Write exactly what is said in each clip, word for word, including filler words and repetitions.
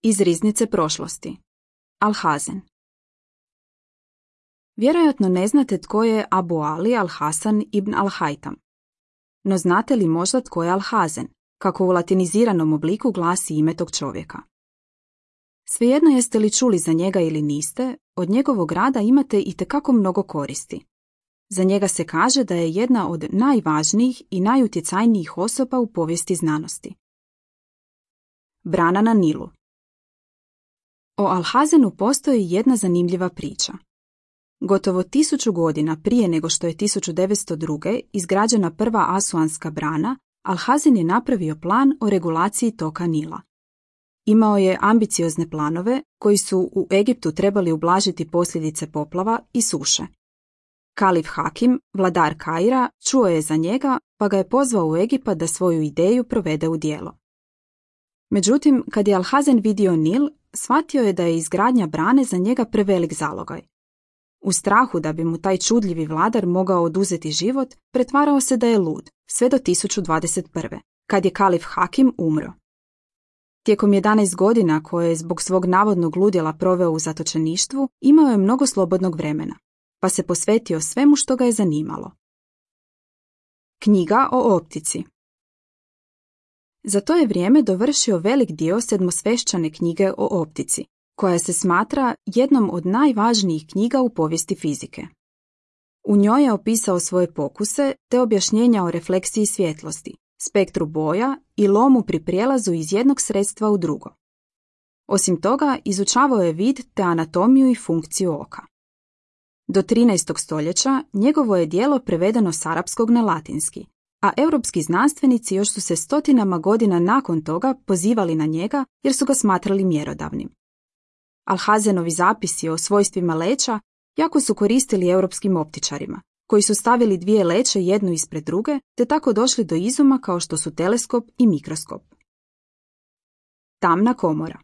Iz riznice prošlosti. Alhazen. Vjerojatno ne znate tko je Abu Ali al-Hasan ibn al-Haytham. No znate li možda tko je Alhazen, kako u latiniziranom obliku glasi ime tog čovjeka? Svejedno jeste li čuli za njega ili niste, od njegovog rada imate itekako mnogo koristi. Za njega se kaže da je jedna od najvažnijih i najutjecajnijih osoba u povijesti znanosti. Brana na Nilu. O Alhazenu postoji jedna zanimljiva priča. Gotovo tisuću godina prije nego što je tisuću devetsto druge izgrađena prva Asuanska brana, Alhazen je napravio plan o regulaciji toka Nila. Imao je ambiciozne planove koji su u Egiptu trebali ublažiti posljedice poplava i suše. Kalif Hakim, vladar Kaira, čuo je za njega pa ga je pozvao u Egipat da svoju ideju provede u djelo. Međutim, kad je Alhazen vidio Nil, shvatio je da je izgradnja brane za njega prevelik zalogaj. U strahu da bi mu taj čudljivi vladar mogao oduzeti život, pretvarao se da je lud, sve do tisuću dvadeset prve, kad je Kalif Hakim umro. Tijekom jedanaest godina koje je zbog svog navodnog ludila proveo u zatočeništvu, imao je mnogo slobodnog vremena, pa se posvetio svemu što ga je zanimalo. Knjiga o optici. Za to je vrijeme dovršio velik dio sedmosvešćane knjige o optici, koja se smatra jednom od najvažnijih knjiga u povijesti fizike. U njoj je opisao svoje pokuse te objašnjenja o refleksiji svjetlosti, spektru boja i lomu pri prijelazu iz jednog sredstva u drugo. Osim toga, izučavao je vid te anatomiju i funkciju oka. Do trinaestog stoljeća njegovo je djelo prevedeno s arapskog na latinski, a europski znanstvenici još su se stotinama godina nakon toga pozivali na njega jer su ga smatrali mjerodavnim. Alhazenovi zapisi o svojstvima leća jako su koristili europskim optičarima, koji su stavili dvije leće jednu ispred druge, te tako došli do izuma kao što su teleskop i mikroskop. Tamna komora.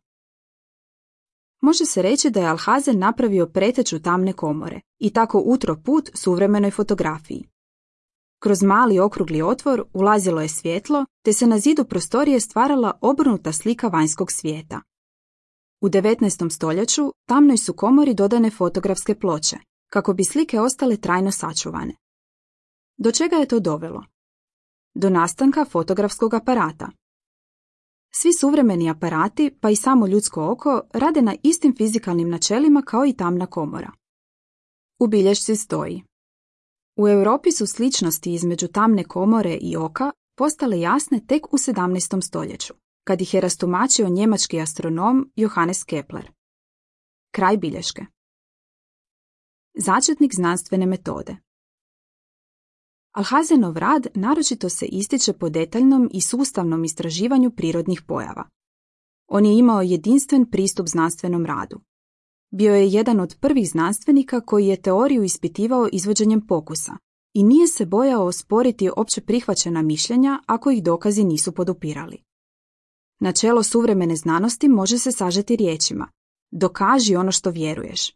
Može se reći da je Alhazen napravio preteču tamne komore i tako utro put suvremenoj fotografiji. Kroz mali okrugli otvor ulazilo je svjetlo, te se na zidu prostorije stvarala obrnuta slika vanjskog svijeta. U devetnaestom stoljeću tamnoj su komori dodane fotografske ploče, kako bi slike ostale trajno sačuvane. Do čega je to dovelo? Do nastanka fotografskog aparata. Svi suvremeni aparati, pa i samo ljudsko oko, rade na istim fizikalnim načelima kao i tamna komora. U bilješci stoji: u Europi su sličnosti između tamne komore i oka postale jasne tek u sedamnaestom stoljeću, kad ih je rastumačio njemački astronom Johannes Kepler. Kraj bilješke. Začetnik znanstvene metode. Alhazenov rad naročito se ističe po detaljnom i sustavnom istraživanju prirodnih pojava. On je imao jedinstven pristup znanstvenom radu. Bio je jedan od prvih znanstvenika koji je teoriju ispitivao izvođenjem pokusa i nije se bojao osporiti opće prihvaćena mišljenja ako ih dokazi nisu podupirali. Načelo suvremene znanosti može se sažeti riječima: dokaži ono što vjeruješ.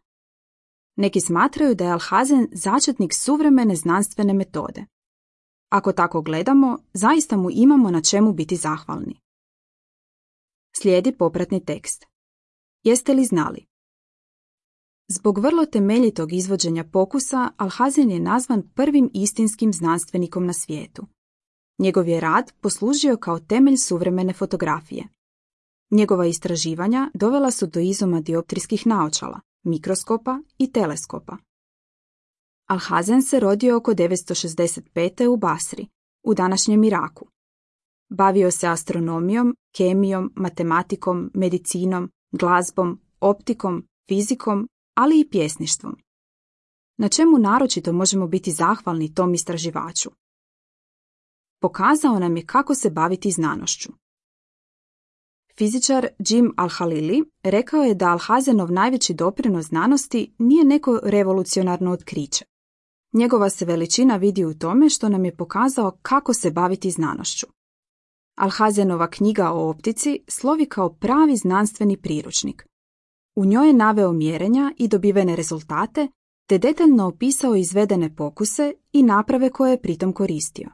Neki smatraju da je Alhazen začetnik suvremene znanstvene metode. Ako tako gledamo, zaista mu imamo na čemu biti zahvalni. Slijedi popratni tekst. Jeste li znali? Zbog vrlo temeljitog izvođenja pokusa, Alhazen je nazvan prvim istinskim znanstvenikom na svijetu. Njegov je rad poslužio kao temelj suvremene fotografije. Njegova istraživanja dovela su do izuma dioptrijskih naočala, mikroskopa i teleskopa. Alhazen se rodio oko devetsto šezdeset pete. u Basri, u današnjem Iraku. Bavio se astronomijom, kemijom, matematikom, medicinom, glazbom, optikom, fizikom, ali i pjesništvom. Na čemu naročito možemo biti zahvalni tom istraživaču? Pokazao nam je kako se baviti znanošću. Fizičar Jim Al-Halili rekao je da Alhazenov najveći doprinos znanosti nije neko revolucionarno otkriće. Njegova se veličina vidi u tome što nam je pokazao kako se baviti znanošću. Alhazenova knjiga o optici slovi kao pravi znanstveni priručnik. U njoj je naveo mjerenja i dobivene rezultate, te detaljno opisao izvedene pokuse i naprave koje je pritom koristio.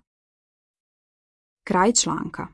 Kraj članka.